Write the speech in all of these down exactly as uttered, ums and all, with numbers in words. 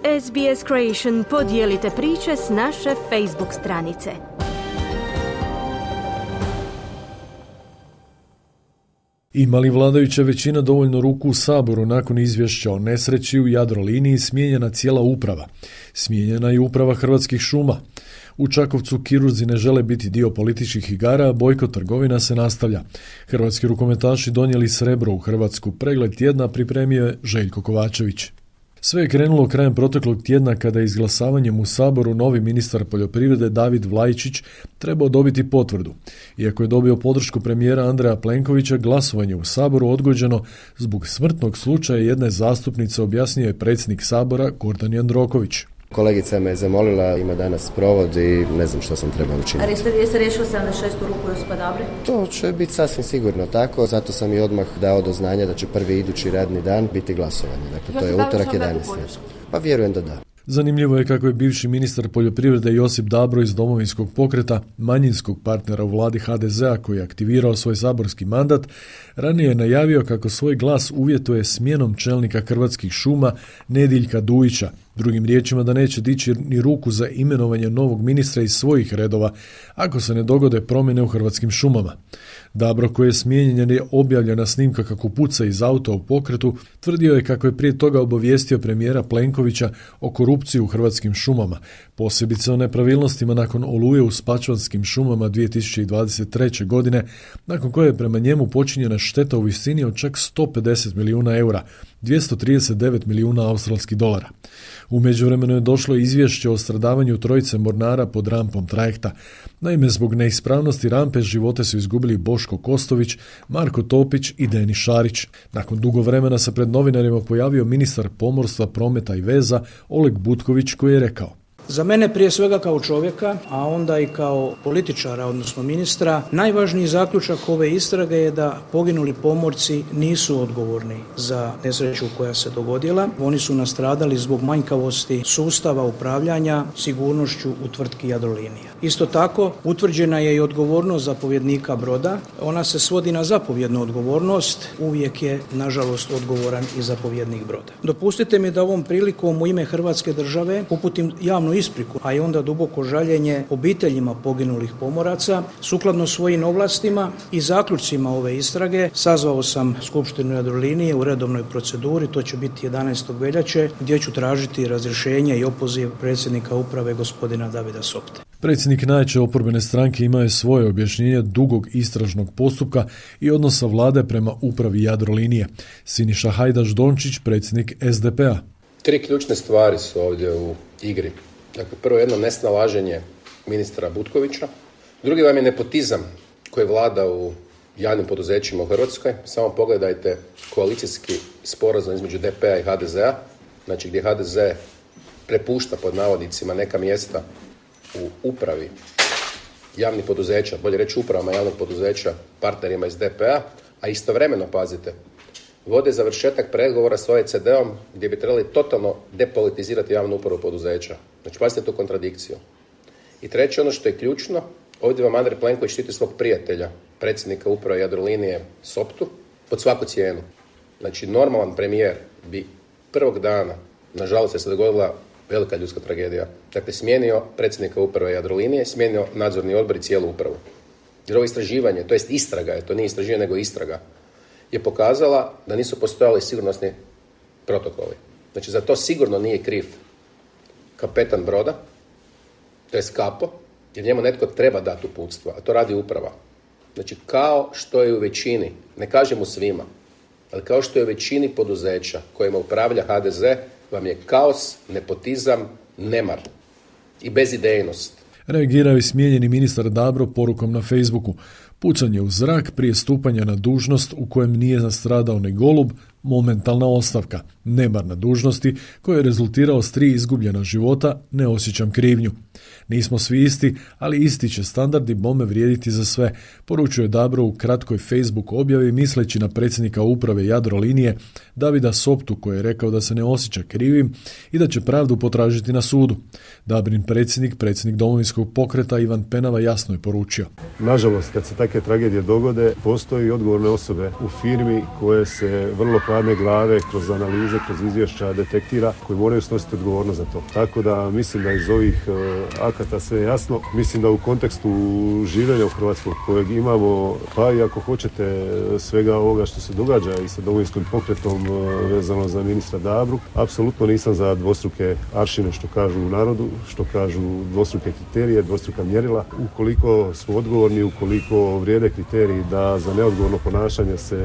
S B S Creation podijelite priče s naše Facebook stranice. Ima li vladajuća većina dovoljno ruku u Saboru nakon izvješća o nesreći u Jadroliniji smijenjena cijela uprava? Smijenjena je uprava Hrvatskih šuma. U Čakovcu kirurzi ne žele biti dio političkih igara, a bojkot trgovina se nastavlja. Hrvatski rukometaši donijeli srebro u Hrvatsku. Pregled tjedna pripremio je Željko Kovačević. Sve je krenulo krajem proteklog tjedna kada je izglasavanjem u Saboru novi ministar poljoprivrede David Vlaičić trebao dobiti potvrdu. Iako je dobio podršku premijera Andreja Plenkovića, glasovanje u Saboru odgođeno zbog smrtnog slučaja jedne zastupnice, objasnio je predsjednik Sabora Gordan Jandroković. Kolegica me je zamolila, ima danas provod i ne znam što sam trebao učiniti. A jeste, jeste riješili sedamdeset šestu ruku Josipa Dabre? To će biti sasvim sigurno tako, zato sam i odmah dao do znanja da će prvi idući radni dan biti glasovanje. Dakle, to je utorak jedanaesti. Pa vjerujem da da. Zanimljivo je kako je bivši ministar poljoprivrede Josip Dabro iz Domovinskog pokreta, manjinskog partnera u vladi H D Z-a koji je aktivirao svoj saborski mandat, ranije je najavio kako svoj glas uvjetuje smjenom čelnika Hrvatskih šuma Nediljka Dujića. Drugim riječima da neće dići ni ruku za imenovanje novog ministra iz svojih redova ako se ne dogode promjene u Hrvatskim šumama. Dabro, koji je smijenjen jer je objavljena snimka kako puca iz auta u pokretu, tvrdio je kako je prije toga obavijestio premijera Plenkovića o korupciji u Hrvatskim šumama, posebice o nepravilnostima nakon oluje u Spačvanskim šumama dvije tisuće dvadeset treće. godine, nakon koje je prema njemu počinjena šteta u visini od čak sto pedeset milijuna eura, dvjesto trideset devet milijuna australskih dolara. U međuvremenu je došlo izvješće o stradavanju trojice mornara pod rampom trajekta. Naime, zbog neispravnosti rampe živote su izgubili Boško Kostović, Marko Topić i Denis Šarić. Nakon dugo vremena se pred novinarima pojavio ministar pomorstva, prometa i veza Oleg Butković koji je rekao: Za mene prije svega kao čovjeka, a onda i kao političara, odnosno ministra, najvažniji zaključak ove istrage je da poginuli pomorci nisu odgovorni za nesreću koja se dogodila. Oni su nastradali zbog manjkavosti sustava upravljanja sigurnošću u tvrtki Jadrolinija. Isto tako, utvrđena je i odgovornost zapovjednika broda. Ona se svodi na zapovjednu odgovornost. Uvijek je, nažalost, odgovoran i zapovjednik broda. Dopustite mi da ovom prilikom u ime Hrvatske države uputim javnu ispriku, a i onda duboko žaljenje obiteljima poginulih pomoraca. Sukladno svojim ovlastima i zaključcima ove istrage sazvao sam Skupštinu Jadrolinije u redovnoj proceduri, to će biti jedanaestog veljače, gdje ću tražiti razrješenje i opoziv predsjednika uprave gospodina Davida Sopte. Predsjednik najjače oporbene stranke imao je svoje objašnjenje dugog istražnog postupka i odnosa vlade prema upravi Jadrolinije. Siniša Hajdaš Dončić, predsjednik S D P-a. Tri ključne stvari su ovdje u igri. Dakle, prvo jedno nesnalaženje ministra Butkovića, drugi vam je nepotizam koji vlada u javnim poduzećima u Hrvatskoj. Samo pogledajte koalicijski sporazum između D P-a i H D Z-a, znači gdje H D Z prepušta pod navodnicima neka mjesta u upravi javnih poduzeća, bolje reći upravama javnog poduzeća partnerima iz D P-a, a istovremeno, pazite, vode završetak pregovora s O E C D-om gdje bi trebali totalno depolitizirati javnu upravu poduzeća. Znači, pazite tu kontradikciju. I treće, ono što je ključno, ovdje vam Andrej Plenković štiti svog prijatelja, predsjednika uprave Jadrolinije Soptu, pod svaku cijenu. Znači, normalan premijer bi prvog dana, nažalost je se dogodila velika ljudska tragedija, dakle, smijenio predsjednika uprave Jadrolinije, smijenio nadzorni odbor i cijelu upravu. Jer ovo istraživanje, to jest istraga je, to nije istraživanje nego istraga, je pokazala da nisu postojali sigurnosni protokoli. Znači, za to sigurno nije kriv kapetan broda, to je kapo, jer njemu netko treba dati uputstva, a to radi uprava. Znači, kao što je u većini, ne kažem u svima, ali kao što je u većini poduzeća kojima upravlja H D Z, vam je kaos, nepotizam, nemar i bezidejnost. Reagirao je smijenjeni ministar Dabro porukom na Facebooku. Pucanje u zrak prije stupanja na dužnost u kojem nije nastradao ni golub, momentalna ostavka. Nemar na dužnosti koji je rezultirao s tri izgubljena života, ne osjećam krivnju. Nismo svi isti, ali isti će standardi bome vrijediti za sve, poručuje Dabro u kratkoj Facebook objavi misleći na predsjednika uprave Jadrolinije Davida Soptu koji je rekao da se ne osjeća krivim i da će pravdu potražiti na sudu. Dabrin predsjednik, predsjednik Domovinskog pokreta Ivan Penava jasno je poručio: Nažalost, kad se takve tragedije dogode, postoji odgovorne osobe u firmi koje se vrlo pažljivo radne glave, kroz analize, kroz izvješća detektira, koji moraju snositi odgovornost za to. Tako da mislim da iz ovih uh, akata sve je jasno. Mislim da u kontekstu življenja u Hrvatskoj kojeg imamo, pa i ako hoćete svega ovoga što se događa i sa Domovinskim pokretom uh, vezano za ministra Dabru, apsolutno nisam za dvostruke aršine što kažu u narodu, što kažu dvostruke kriterije, dvostruka mjerila. Ukoliko smo odgovorni, ukoliko vrijede kriteriji da za neodgovorno ponašanje se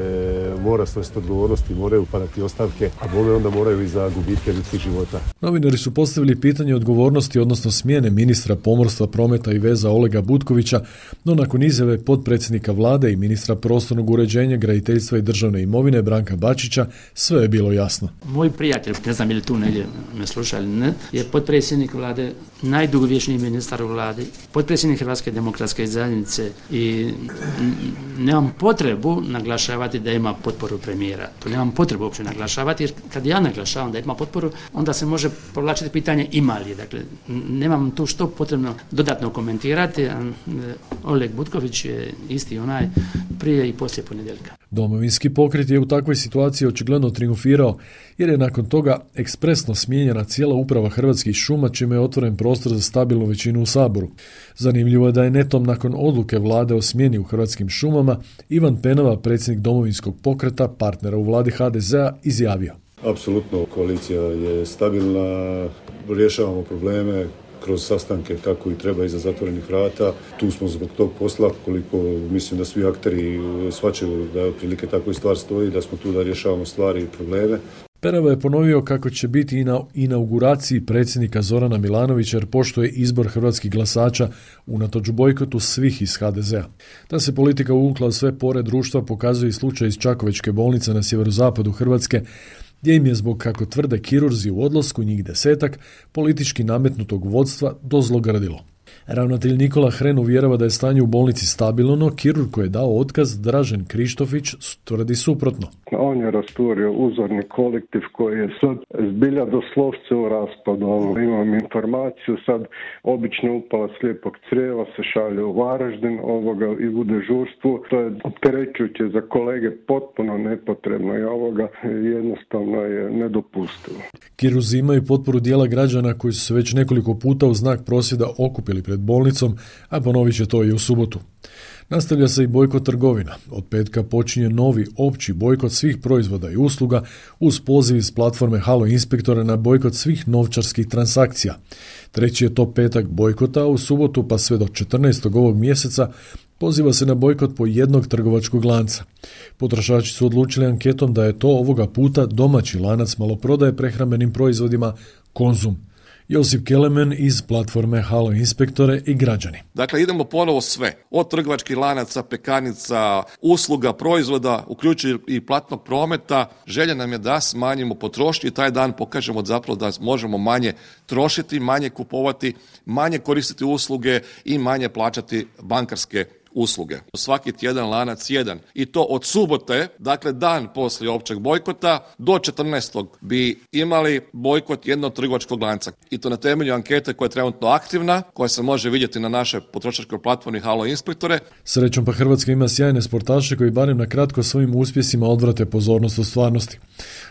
mora snositi odgovornosti, moraju padati ostavke, a bome onda moraju i za gubitke ljudskih života. Novinari su postavili pitanje odgovornosti, odnosno smjene ministra pomorstva, prometa i veza Olega Butkovića, no nakon izjave potpredsjednika vlade i ministra prostornog uređenja, graditeljstva i državne imovine Branka Bačića, sve je bilo jasno. Moj prijatelj, ne znam je li tu negdje me sluša ili ne, je potpredsjednik vlade, najdugovječniji ministar u vladi, potpredsjednik Hrvatske demokratske zajednice i nemam potrebu naglašavati da ima potporu premijera. To nemam potrebu uopće naglašavati, jer kad ja naglašavam da ima potporu, onda se može povlačiti pitanje ima li. Dakle, nemam tu što potrebno dodatno komentirati. Oleg Butković je isti onaj prije i poslije ponedjeljka. Domovinski pokret je u takvoj situaciji očigledno triumfirao, jer je nakon toga ekspresno smijenjena cijela uprava Hrvatskih šuma, čime je otvoren prostor za stabilnu većinu u Saboru. Zanimljivo je da je netom nakon odluke vlade o smjeni u Hrvatskim šumama Ivan Penava, predsjednik Domovinskog pokreta, partnera u vladi ha de zea, izjavio. Apsolutno, koalicija je stabilna, rješavamo probleme kroz sastanke kako i treba iza zatvorenih vrata. Tu smo zbog tog posla, koliko mislim da svi akteri shvaćaju da prilike tako i stvar stoji, da smo tu da rješavamo stvari i probleme. Penava je ponovio kako će biti i na inauguraciji predsjednika Zorana Milanovića, jer poštuje izbor hrvatskih glasača unatoč bojkotu svih iz ha de zea. Ta se politika uvukla u sve pore društva pokazuje i slučaj iz Čakovečke bolnice na sjeverozapadu Hrvatske, gdje im je zbog, kako tvrde kirurzi u odlasku, njih desetak, politički nametnutog vodstva dozlogrdilo. Ravnatelj Nikola Hren uvjerava da je stanje u bolnici stabilno, no kirurg koji je dao otkaz, Dražen Krištofić, tvrdi suprotno. On je rasturio uzorni kolektiv koji je sad zbilja doslovce u raspadu. Imam informaciju, sad obično upala slijepog crijeva se šalje u Varaždin ovoga i u dežurstvu. To je opterećujuće za kolege, potpuno nepotrebno i ovoga jednostavno je nedopustivo. Kirurzi imaju potporu dijela građana koji su se već nekoliko puta u znak prosvjeda okupili pred bolnicom, a ponovit će to i u subotu. Nastavlja se i bojkot trgovina. Od petka počinje novi opći bojkot svih proizvoda i usluga uz poziv iz platforme Halo Inspektora na bojkot svih novčarskih transakcija. Treći je to petak bojkota, a u subotu pa sve do četrnaestog ovog mjeseca poziva se na bojkot po jednog trgovačkog lanca. Potrošači su odlučili anketom da je to ovoga puta domaći lanac maloprodaje prehrambenim proizvodima Konzum. Josip Kelemen iz platforme Halo Inspektore i građani. Dakle, idemo ponovo sve. Od trgovačkih lanaca, pekarnica, usluga, proizvoda, uključujući i platnog prometa. Želja nam je da smanjimo potrošnju i taj dan pokažemo zapravo da možemo manje trošiti, manje kupovati, manje koristiti usluge i manje plaćati bankarske usluge. Svaki tjedan lanac jedan. I to od subote, dakle dan poslije općeg bojkota, do četrnaestog bi imali bojkot jednog trgovačkog lanca. I to na temelju ankete koja je trenutno aktivna, koja se može vidjeti na našoj potrošačkoj platformi Halo Inspektore. Srećom pa Hrvatska ima sjajne sportaše koji barem na kratko svojim uspjesima odvrate pozornost od stvarnosti.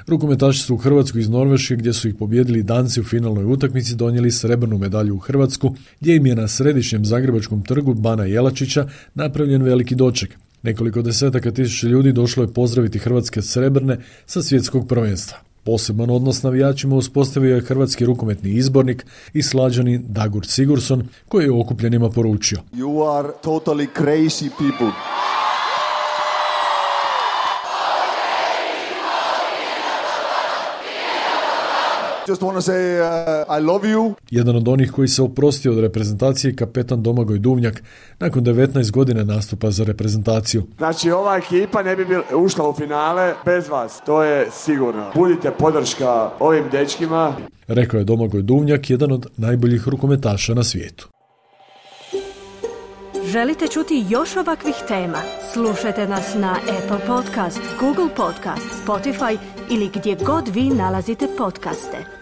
Rukometaši su u Hrvatsku iz Norveške, gdje su ih pobijedili Danci u finalnoj utakmici, donijeli srebrnu medalju u Hrvatsku, gdje im je na središnjem zagrebačkom trgu Bana Jelačića napravljen veliki doček. Nekoliko desetaka tisuća ljudi došlo je pozdraviti hrvatske srebrne sa svjetskog prvenstva. Poseban odnos navijačima uspostavio je hrvatski rukometni izbornik i Slađanin Dagur Sigurdsson, koji je okupljenima poručio: You are totally crazy people. Just want to say uh, I love you. Jedan od onih koji se oprostio od reprezentacije je kapetan Domagoj Duvnjak nakon devetnaest godina nastupa za reprezentaciju. Znači, ova ekipa ne bi bil, ušla u finale bez vas, to je sigurno. Budite podrška ovim dečkima. Rekao je Domagoj Duvnjak, jedan od najboljih rukometaša na svijetu. Želite čuti još ovakvih tema? Slušajte nas na Apple Podcast, Google Podcast, Spotify ili gdje god vi nalazite podcaste.